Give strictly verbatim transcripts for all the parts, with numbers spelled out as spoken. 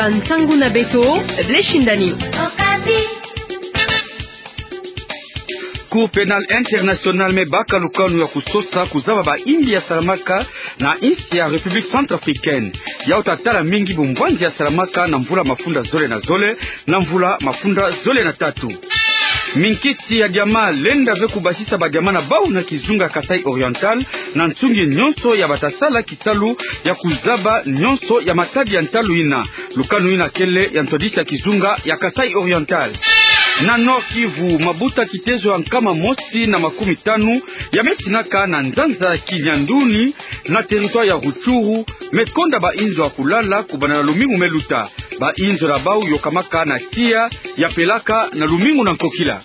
Bansangu na beto, Blaise Shindani. Cour pénale internationale me baka lukanu ya kusosa kuzaba bayimbi ya salamaka na insi ya République centrafricaine. Yau tatala mingi bumvwanzi ya salamaka na mvula mafunda zole na zole, na mvula mafunda zole na tatu. Minkisi ya diama lenda ve kubasisa badiama na bau na kizunga Kasaï Oriental, na nsungi nyonso ya batasala kisalu ya kuzaba nyonso ya matadi ya ntalu ina. Lukanu ina kele ya ntwadisi ya kizunga ya Kasaï Oriental. Na Nord-Kivu, mabuta kitezo ya nkama mosi na makumi tanu ya me tinaka na nzanza Kinyanduni, na territoire ya Rutshuru, me konda bainzo ya kulala kubanda na lumingu me luta. Bainzo na bau yokamaka na tiya ya pelaka na lumingu na nkokila.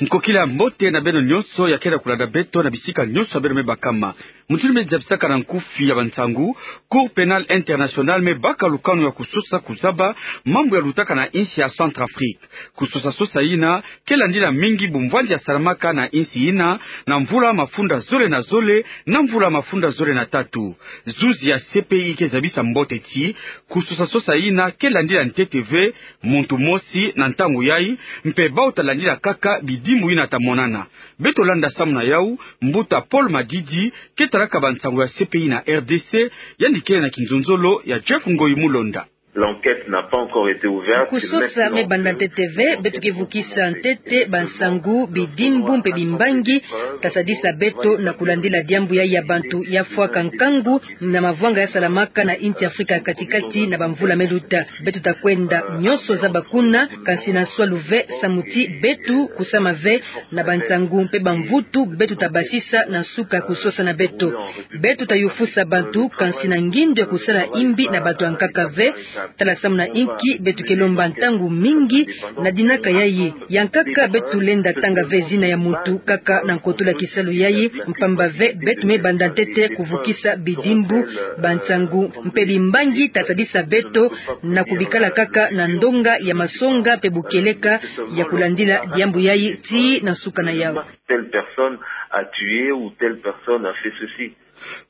Nkokila ya mbote na beno nyonso ya kele kulanda beto na bisika nyonso ya beno me bakama. Mutindu me zabisaka na nkufi ya bansangu, Cour pénale internationale me baka lukanu ya kusosa kuzaba mambu ya lutaka na insi ya Centrafrique. Kusosa-sosa ina ke landila mingi bumvwanzi ya salamaka na insi ina, na mvula mafunda zole na zole, na mvula mafunda zole na tatu. Zuzi ya C P I ke zabisa mbote ti kusosa-sosa ina ke landila ntete ve muntu mosi na ntangu yai, mpe bau talandila kaka bidimbu ina tamonana. Beto landa samu na yau, mbuta Paul Madidi, ke talaka bansangu ya C P I na R D C, yandi kele na kinzonzolo ya Jeff Ngoyi Mulonda. L'enquête n'a pas encore été ouverte. Kusosa me banda ntete ve, beto ke vukisa ntete bansangu, bidimbu mpe bimbangi tasadisa beto na kulandila diambu yai ya bantu ya fwaka nkangu na mavwanga ya salamaka na insi Afrika ya kati-kati na bamvula me luta. Beto takwenda nyonso zaba kuna, kansi na nswalu ve, samu ti beto kusama ve na bansangu mpe bamvutu beto tabasisa na nsuka kusosa na beto. Beto tayufusa bantu, kansi na ngindu ya kusala imbi na bantu ya nkaka ve. Tala samu na inki beto ke lomba ntangu mingi na dinaka yai. Ya nkaka beto lenda tanga ve zina ya muntu kaka na nkotolo ya kisalu yai, mpamba ve beto me banda ntete kuvukisa bidimbu, bansangu mpe bimbangi tasadisa beto na kubikala kaka na ndonga ya masonga mpe bukieleka ya kulandila diambu yai tii na nsuka na yau. Telle personne a tué ou telle personne a fait ceci.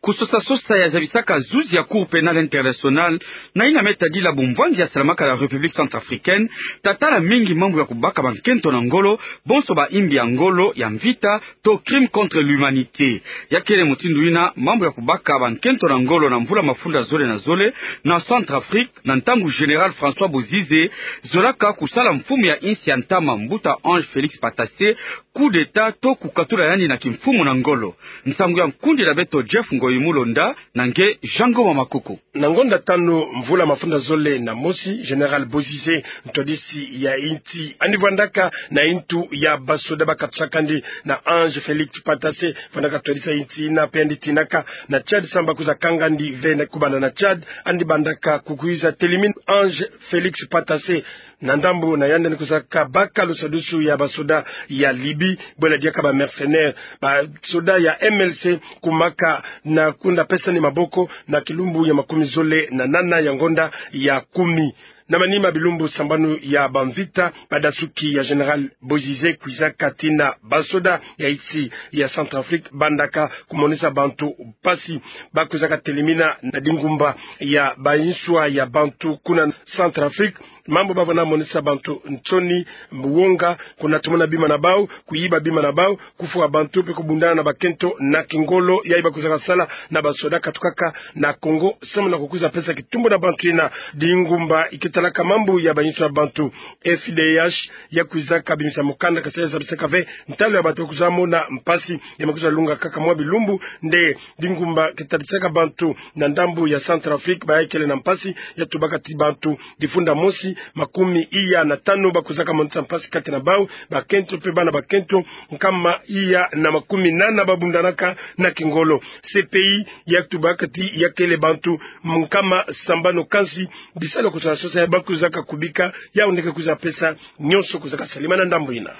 Kusosa-sosa ya zabisaka zuzi ya Cour pénale internationale na ina me tadila bumvwanzi ya salamaka na République centrafricaine, tatala mingi mambu ya kubaka bankento na ngolo, bonso baimbi ya ngolo ya mvita, to crime contre l'humanité. Ya kele mutindu ina mambu ya kubaka bankento na ngolo na mvula mafunda zole na zole na Centrafrique, na ntangu Général François Bozizé zolaka kusala mfumu ya insi ya ntama, mbuta Ange Félix Patassé, coup d'État to kukatula yandi na kimfumu na ngolo. Nsangu ya nkundi na beto Jeff Ngoyi Mulonda na nge Jean Ngoma Makoko. Na ngonda tanu mvula mafunda zole na mosi, Général Bozizé, ntwadisi ya insi, yandi vwandaka na intu ya basoda bakatusakandi na Ange Félix Patassé, vwandaka twadisa insi ina mpe yandi tinaka na Tchad, samu bakwiza kangandi ve na kubanda na Tchad. Yandi bandaka kukwiza telimina Ange Félix Patassé na ndambu na yandi, yandi kwizaka baka lusadusu ya basoda ya Libye, bwela diaka ba mercenaires, basoda ya M L C, kumaka na kunda pesani maboko na kilumbu ya makumi zole na nana ya ngonda ya kumi. Na manima bilumbu sambanu ya bamvita, badasuki ya Général Bozizé kwizaka tii na basoda ya insi ya Centrafrique bandaka kumonisa bantu mpasi. Bakwizaka telimina na dingumba ya bayinswa ya bantu kuna Centrafrique, mambu bavwanda monisa bantu nsoni, wonga, kuna tomona bima na bau, kuyiba bima na bau, kufwa bantu mpe kubundana na bakento na kingolo. Yai bakwizaka sala na basoda katukaka na Congo, samu na kukwiza pesa kitumbu na bantu ina. Dingumba ike talaka mambu ya bayinswa ya bantu, F D H, ya kwizaka bimisa mukanda, kansi ya zabisaka ve ntalu ya bantu bakwiza mona mpasi, ya me kwiza lunga kaka mwa bilumbu nde dingumba ke tadisaka bantu na ndambu ya Centrafrique, bayai kele na mpasi. Ya tubaka ti bantu difunda mosi, makumi iya na tanu bakwizaka monisa mpasi kati na bau, bakento mpe bana bakento nkama iya na makumi nana babundanaka na kingolo. C P I ya tubaka ti ya kele bantu nkama sambanu, kansi bisalu ya kusosa-sosa ya bakwizaka kubika, yau nde ke kwiza pesa nyonso kwizaka salama na ndambu ina.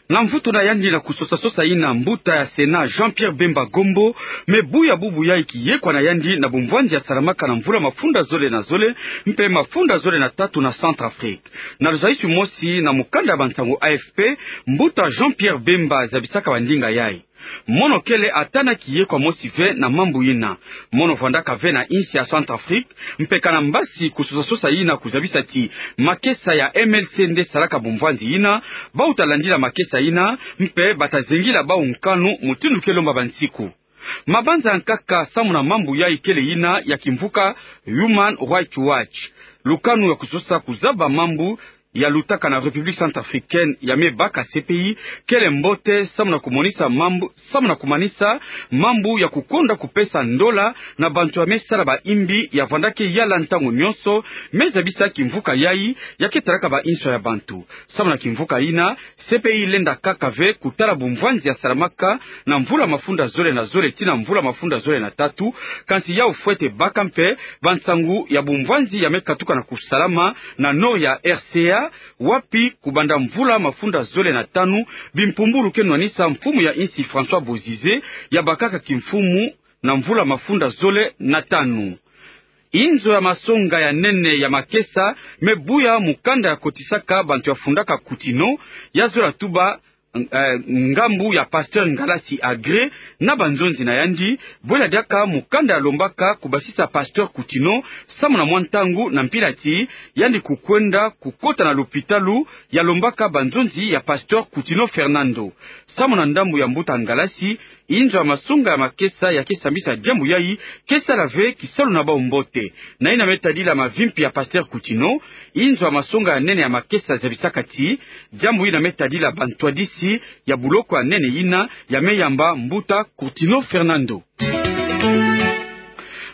Na mvutu na yandi na kusosa-sosa ina, mbuta ya Sénat Jean-Pierre Bemba Gombo me buya bubu yai kiyekwa na yandi na bumvwanzi ya salamaka na mvula mafunda zole na zole mpe mafunda zole na tatu na Centrafrique. Na luzayisi mosi na mukanda ya bansangu A F P, mbuta Jean-Pierre Bemba zabisaka bandinga yai. Mono kele ata na kiye kwa mosi ve na mambu yina. Mono vandaka ve na insi ya Centrafrique, mpe kana mbasi kusosa-sosa yina kuzabisa ti makesa ya M L C nde salaka bumvwanzi yina, bau ta landila makesa yina, mpe bata zengila bau nkanu mutindu ke lomba bansiku. Mabanza nkaka samu na mambu yayi kele yina ya kimvuka Human Rights Watch. Lukanu ya kusosa kuzaba mambu ya lutaka na République Centrafricaine ya me baka C P I kele mbote samu na kumonisa mambu, samu na kumanisa mambu ya kukonda kupesa ndola na bantu ya me sala ba imbi ya vanda ke yala ntangu nyonso, me zabisa kimvuka yayi ya ke talaka ba inso ya bantu. Samu na kimvuka yina, C P I lenda kaka ve kutala bumvwanzi ya salamaka na mvula mafunda zole na zole tii na mvula mafunda zole na tatu, kansi yau fwete baka mpe bansangu ya bumvwanzi ya me katuka na kusalama na nord ya R C A, wapi kubanda mvula mafunda zole na tanu, bimpumbulu ke nwanisa mfumu ya insi François Bozizé ya bakaka kimfumu na mvula mafunda zole na tanu. Inzo ya masonga ya nene ya makesa me buya mukanda ya kotisaka bantu ya fundaka Kutino, ya zola tuba, eh, ngambu ya Pasteur Ngalasi Agré na banzonzi na yandi, bwela diaka mukanda ya lombaka kubasisa Pasteur Kutino, samu na mwa ntangu na mpila ti yandi kukwenda kukota na lopitalu ya lombaka banzonzi ya Pasteur Kutino Fernando. Samu na ndambu ya mbuta Ngalasi, inzo ya masonga ya makesa ya ke sambisa diambu yayi ke sala ve kisalu na bau mbote. Na yina me tadila mavimpi ya Pasteur Kutino, inzo ya masonga ya nene ya makesa zabisaka ti diambu yina me tadila bantwadisi ya buloko ya nene yina ya me yamba mbuta Kutino Fernando.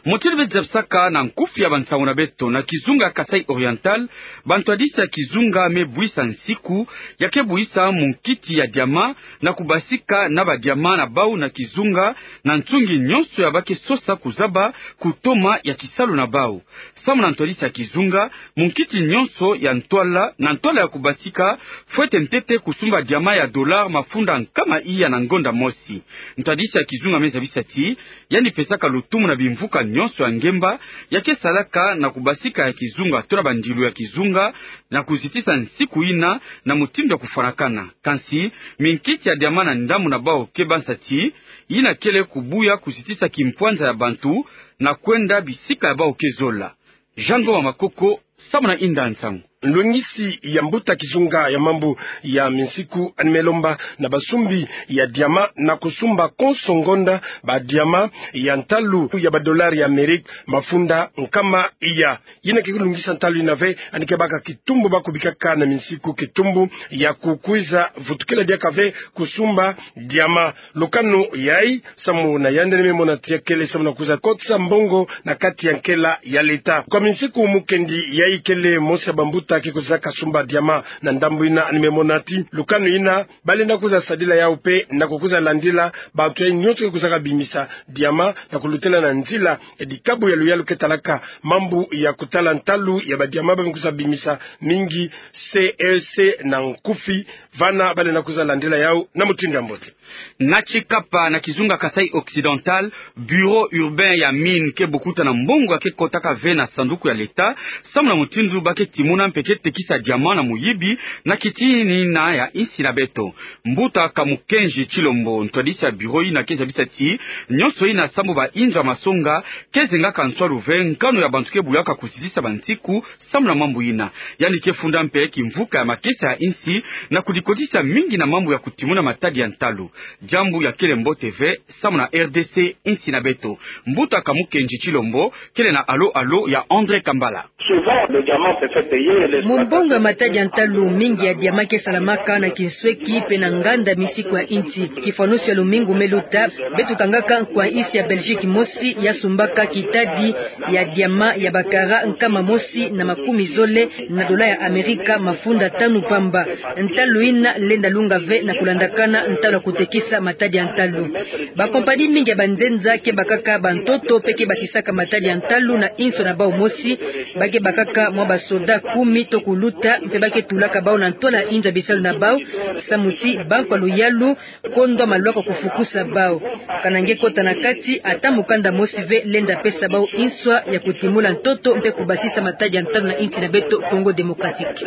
Mutindu beto zabisaka na nkufi ya bansangu na beto, na kizunga Kasaï Oriental, bantwadisi ya kizunga me buisa nsiku ya ke buisa munkiti ya diama na kubasika na ba diama na bau na kizunga, na nsungi nyonso ya ba ke sosa kuzaba kutoma ya kisalu na bau. Samu na ntwadisi ya kizunga, munkiti nyonso ya ntwala, na ntwala ya kubasika, fwete ntete kusumba diama ya dollar mafunda nkama iya na ngonda mosi. Ntwadisi ya kizunga me zabisa ti yandi pesaka lutumu na bimvuka nyonso ya ngemba ya ke salaka na kubasika ya kizunga to na bandilu ya kizunga, na kuzitisa nsiku yina na mutindu ya kufwanakana. Kansi minkiti ya diama na ndambu na bau ke bansa ti yina kele kubuya kuzitisa kimpwanza ya bantu na kwenda bisika ya bau ke zola. Jean Ngoma Makoko, samu na inda nsangu. Nlongisi ya mbuta kizunga ya mambu ya minsiku yandi me lomba na basumbi ya diama na kusumba konso ngonda ba diama ya ntalu ya ba dollar ya Amérique mafunda nkama iya. Yina ke kulungisa ntalu yina ve, yandi ke baka kitumbu ba kubikaka na minsiku kitumbu ya kukwiza vutukila diaka ve kusumba diama. Lukanu yayi, samu na yandi, yandi me mona ti ya kele samu na kwiza kotisa mbongo na kati ya nkela ya leta. Kwa minsiku mukendi, yayi kele mosi ya bambuta ke kwizaka sumba diama. Na ndambu yina yandi me mona ti lukanu yina, ba lenda kwiza sadila yau mpe na kukwiza landila bantu yayi nyonso ke kwizaka bimisa diama na kulutela na nzila ya dikabu ya luyalu ke talaka mambu ya kutala ntalu ya ba diama ba me kwiza bimisa mingi, C E C na nkufi, vana ba lenda kwiza landila yau na mutindu ya mbote. Na Tchikapa, na kizunga Kasaï Occidental, bureau urbain ya mine ke bukuta na mbongo ya ke kotaka ve na sanduku ya leta, samu na mutindu ba ke timuna mpe ke tekisa diama na muyibi na kiti yina ya insi na beto. Mbuta Kamukenji Tshilombo, ntwadisi ya bureau yina, ke zabisa ti nyonso yina sambu ba inzo ya masonga ke zengaka nswalu ve, nkanu ya bantu ke buyaka kuzitisa bansiku samu na mambu yina. Yandi ke funda mpe kimvuka ya makesa ya insi na kudikotisa mingi na mambu ya kutimuna matadi ya ntalu, diambu ya kele mbote ve samu na R D C, insi na beto. Mbuta Kamukenji Tshilombo kele na alo-alo ya André Kambala. Souvent, le diamant se fait payer, les... Mu mbongo ya matadi ya ntalu, mingi ya diama ke salamaka na kinsweki mpe na nganda minsiku ya insi. Kifwanusu ya lumingu me luta, beto kangaka nkwa-insi ya Belgique mosi ya sumbaka kitadi ya diama ya ba carats nkama mosi na makumi zole na dollar ya Amerika mafunda tanu pamba. Ntalu yina lenda lunga ve na kulandakana ntalu ya kutekisa matadi ya ntalu. Ba compagnie mingi ya banzenza ke bakaka bantoto mpe ke bakisaka matadi ya ntalu na inso na bau mosi. Ba ke bakaka mwa basoda kumi Ito kuluta mpe ba ke tulaka bau na ntwala inzo ya bisalu na bau, samu ti bankwa luyalu kondwa malwaka kufukusa bau. Kana nge kota na kati, ata mukanda mosi ve lenda pesa bau inswa ya kutimula ntoto mpe kubasisa matadi ya ntalu na insi na beto Congo Démocratique.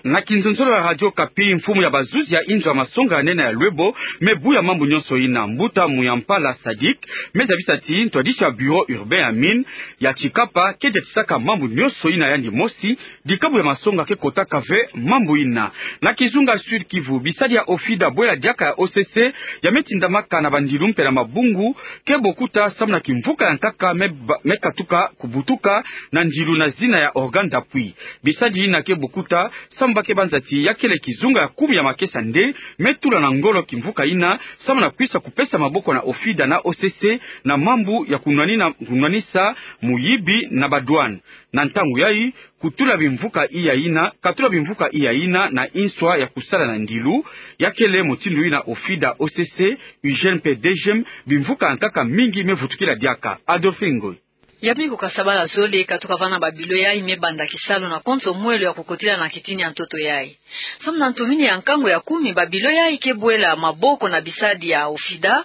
Na kinzonzolo ya Radio Okapi, mfumu ya bazuzi ya inzo ya masonga ya nene ya Lwebo me buya mambu nyonso ina, mbuta Muyampala Sadik, me zabisa ti ntwadisi ya bureau urbain ya mine ya Tshikapa ke diatisaka mambu nyonso ina, yandi mosi dikabu ya masonga ke kotaka ve mambu ina. Na kizunga Sud-Kivu, bisadi ya OFIDA bwela diaka ya OCC ya me tindamaka na bandilu mpe na mabungu ke bokuta samu na kimvuka ya nkaka me ba-, me katuka kubutuka na ndilu na zina ya organe d'appui. Bisadi ina ke bokuta samu ba ke banza ti ya kele kizunga ya kumi ya makesa nde me tula na ngolo kimvuka ina samu na kwisa kupesa maboko na OFIDA na OCC na mambu ya kunwanina, kunwanisa muyibi na badouane. Na ntangu yayi, kutula bimvuka iya ina, katula bimvuka iya ina na inswa ya kusala na ndilu, ya kele mutindu ina OFIDA, OCC, UGN mpe DGM, bimvuka ya nkaka mingi me vutukila diaka. Adolphe Ngoy. Ya mikuka sabala zole katuka vana babilo yayi me banda kisalu na konso mwelo ya kukotila na kitini ya ntoto yayi. Samu na ntumini ya nkangu ya kumi, babilo yayi ke bwela maboko na bisadi ya OFIDA,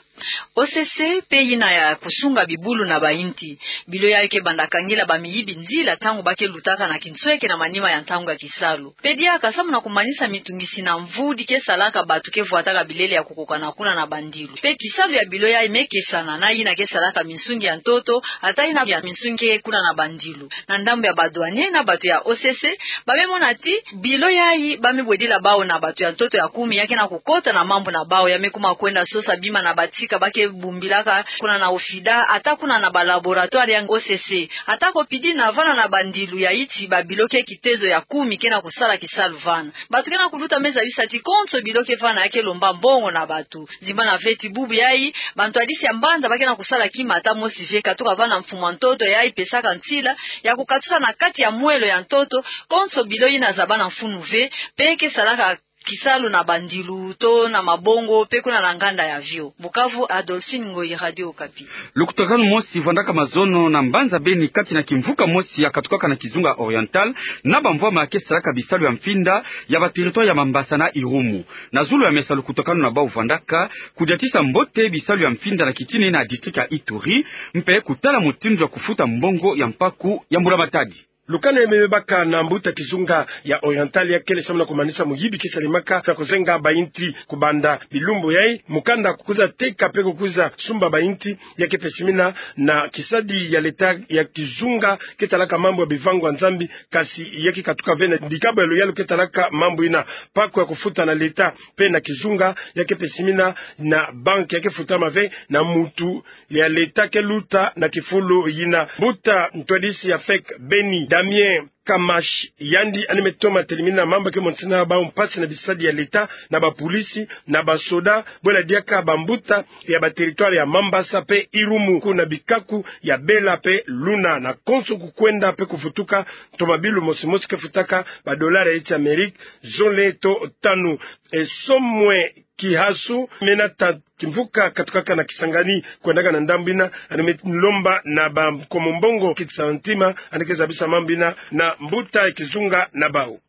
OCC mpe ina ya kusunga bibulu na bainti. Bilo yayi ke banda kangila bamiyibi nzila ntangu ba ke lutaka na kinsweke na manima ya ntangu ya kisalu. Mpe diaka samu na kumanisa mitungisi na mvu di ke salaka bato ke vwataka bilele ya kukokana kuna na bandilu. Mpe kisalu ya bilo yayi me kesana na ina ke salaka minsungi ya ntoto, ata ina ya minsungi ke kuna na bandilu. Na ndambu ya badouanier na bato ya OCC, ba me mona ti bilo yayi ba me bwedila bau na bato ya ntoto ya kumi ya ke na kukota na mambu na bau, ya me kuma kwenda sosa bima na batika ba ke bumbilaka kuna na OFIDA, ata kuna na balaboratoire ya OCC. Ata ko pidi na vana na bandilu ya iti babilo ke kitezo ya kumi ke na kusala kisalu vana. Bato ke na kuluta me zabisa ti konso bilo ke vana ya ke lomba mbongo na bato. Zimbana ve ti bubu yayi, bantwadisi ya mbanza ba ke na kusala kima ata mosi ve, katuka vana mfumu ya ntoto yayi pesaka nsila ya kukatusa na kati ya mwelo ya ntoto konso bilo ina zabana mfunu ve, mpe ke salaka kisalu na bandilu to na mabongo mpe kuna na nganda ya vio. Bukavu, Adolphine Ngoyi, Radio Okapi. Lukutakanu mosi vandaka mazono na mbanza Beni kati na kimvuka mosi ya katukaka na kizunga Oriental na bamvwama ya ke salaka bisalu ya mfinda ya ba territoire ya Mambasa na Irumu. Na zulu ya mesa lukutakanu na bau vandaka kudiatisa mbote bisalu ya mfinda na kitini na district ya Ituri, mpe kutala mutindu ya kufuta mbongo ya mpaku ya mbula matadi. Lukanu ya me bebaka na mbuta kizunga ya Oriental ya kele samu na kumanisa muyibi ke salemaka na kuzenga bainti kubanda bilumbu yayi, mukanda kukwiza teka mpe kukwiza sumba bainti ya ke pesimina na kisadi ya leta ya kizunga ke talaka mambu ya bivangu ya Nzambi, kasi ya ke katuka ve na dikabu ya luyalu ke talaka mambu ina, mpaku ya kufuta na leta mpe na kizunga ya ke pesimina na banque ya ke futama ve na mutu ya leta ke luta na kifulu yina. Mbuta ntwadisi ya fek Beni, Damien Kamash, yandi yandi me toma telimina mambu ke montisina bau mpasi na bisadi ya leta, na bapolisi, na basoda, bwela diaka bambuta ya ba territoire ya Mambasa mpe Irumu, kuna bikaku ya Bela mpe Luna, na konso kukwenda mpe kuvutuka ntomabilu mosi mosi ke futaka ba dollar ya iti Amerique zole to tanu. E, Somwe Kihasu, me nata kimvuka katukaka na Kisangani kwendaka na ndambu ina, yandi me lomba na ba nkomo mbongo kiti santima, yandi ke zabisa mambu ina na mbuta ya kizunga na bau.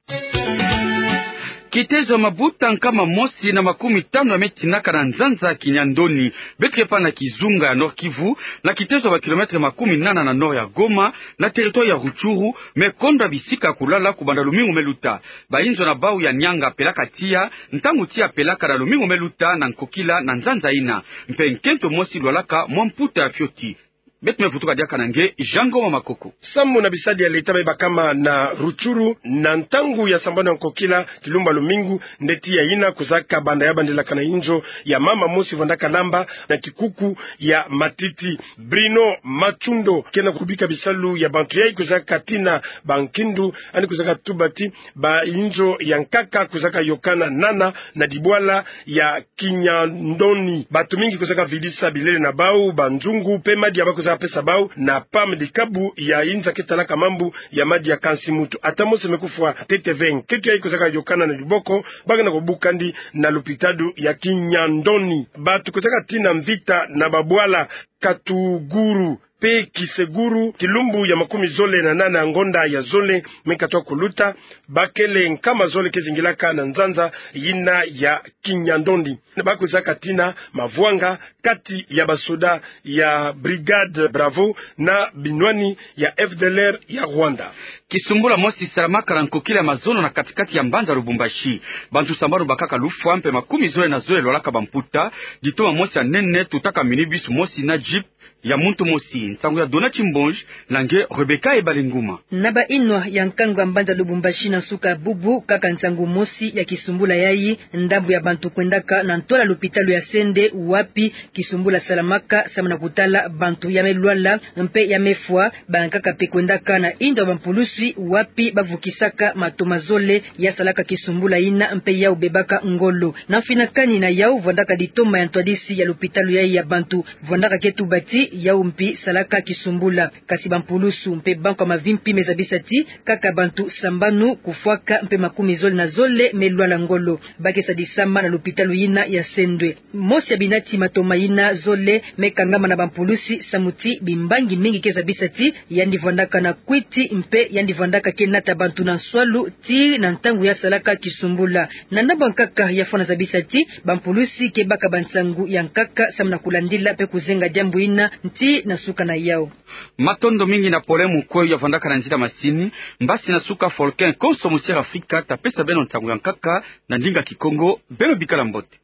Kitezo ya mabuta nkama mosi na makumi tanu ya me tinaka na nzanza Kinyandoni, beto ke pana kizunga ya Nord-Kivu, na kitezo ya ba kilomètre makumi nana na nord ya Goma, na territoire ya Rutshuru, me kondwa bisika ya kulala kubanda lumingu me luta. Bayinzo na bau ya nianga pelaka tiya, ntangu tiya pelaka na lumingu me luta na nkokila na nzanza ina. Mpe nkento mosi lwalaka mwa mputa ya fioti. Beto me vutuka diaka na nge, Jean Ngoma Makoko. Sambu na bisadi ya leta bayi bakama na Rutshuru, na ntangu ya sambanu ya nkokila, kilumbu ya lumingu, nde tiya ina kwizaka banda ya bandilaka na inzo ya mama mosi vandaka lamba na kikuku ya matiti. Bruno Matshundo, ke na kubika bisalu ya bantu yayi kwizaka tina bankindu, yandi kwizaka tuba ti, ba inzo ya nkaka kwizaka yokana nana na dibwala ya Kinyandoni. Bantu mingi kwizaka vidisa bilele na bau, banzungu, mpe madia ba kwizaka pesa bau na pam, dikabu ya inzo ke talaka mambu ya madia kansi mutu. Ata mosi me kufwa ntete ve. Nkento yayi kwizaka yokana na diboko, ba ke na kubuka yandi na lupitalu ya Kinyandoni. Bantu kwizaka tina mvita na babwala Katuguru, mpe Kiseguru, kilumbu ya makumi zole na nana ngonda ya zole me katuka kuluta, bakele nkama zole ke zingilaka na nzanza yina ya Kinyandoni. Bakwizaka tina mavwanga kati ya basoda ya Brigade Bravo na binwani ya F D L R ya Rwanda. Kisumbula mosi salamaka na nkokila ya mazono na kati-kati ya mbanza Lubumbashi. Bantu sambanu bakaka lufwa mpe makumi zole na zole lwalaka bamputa. Ditoma mosi ya nene tutaka minibus mosi na jeep ya muntu mosi. Nsangu ya Dona Chimbonji na nge Rebecca Ebalinguma. Na bainwa ya nkangu ya mbanza Lubumbashi na nsuka bubu, kaka nsangu mosi ya kisumbula yayi, ndambu ya bantu kwendaka na ntwala lupitalu ya Sendwe, wapi kisumbula salamaka samu na kutala bantu ya me lwala mpe ya me fwa. Bankaka mpe kwendaka na inzo ya bampulusi, wapi bavukisaka matoma zole ya salaka kisumbula yina mpe yau bebaka ngolo. Na mfinakani na yau, vwandaka ditoma ya ntwadisi ya lupitalu yayi ya bantu vwandaka ke tubati, yau mpi salaka kisumbula. Kasi bampulusu mpe banko ya mavimpi me zabisa ti kaka bantu sambanu kufwaka mpe makumi zole na zole me lwala ngolo, ba ke sadisama na lupitalu yina ya Sendwe. Mosi ya binati matoma yina zole me kangama na bampulusi samu ti bimbangi mingi ke zabisa ti yandi vwandaka na kwiti mpe yandi vwandaka ke nata bantu na nswalu tii na ntangu ya salaka kisumbula. Na ndambu ya nkaka, ya fwana zabisa ti bampulusi ke baka bansangu ya nkaka samu na kulandila mpe kuzenga diambu yina tii na suka na yau. Matondo mingi na pole mukweyi ya vwandaka na nzila masini. Mbasi na suka, Folkin konso musiere Afrika ta pesa beno nsangu ya nkaka na ndinga Kikongo. Beno bikala mbote.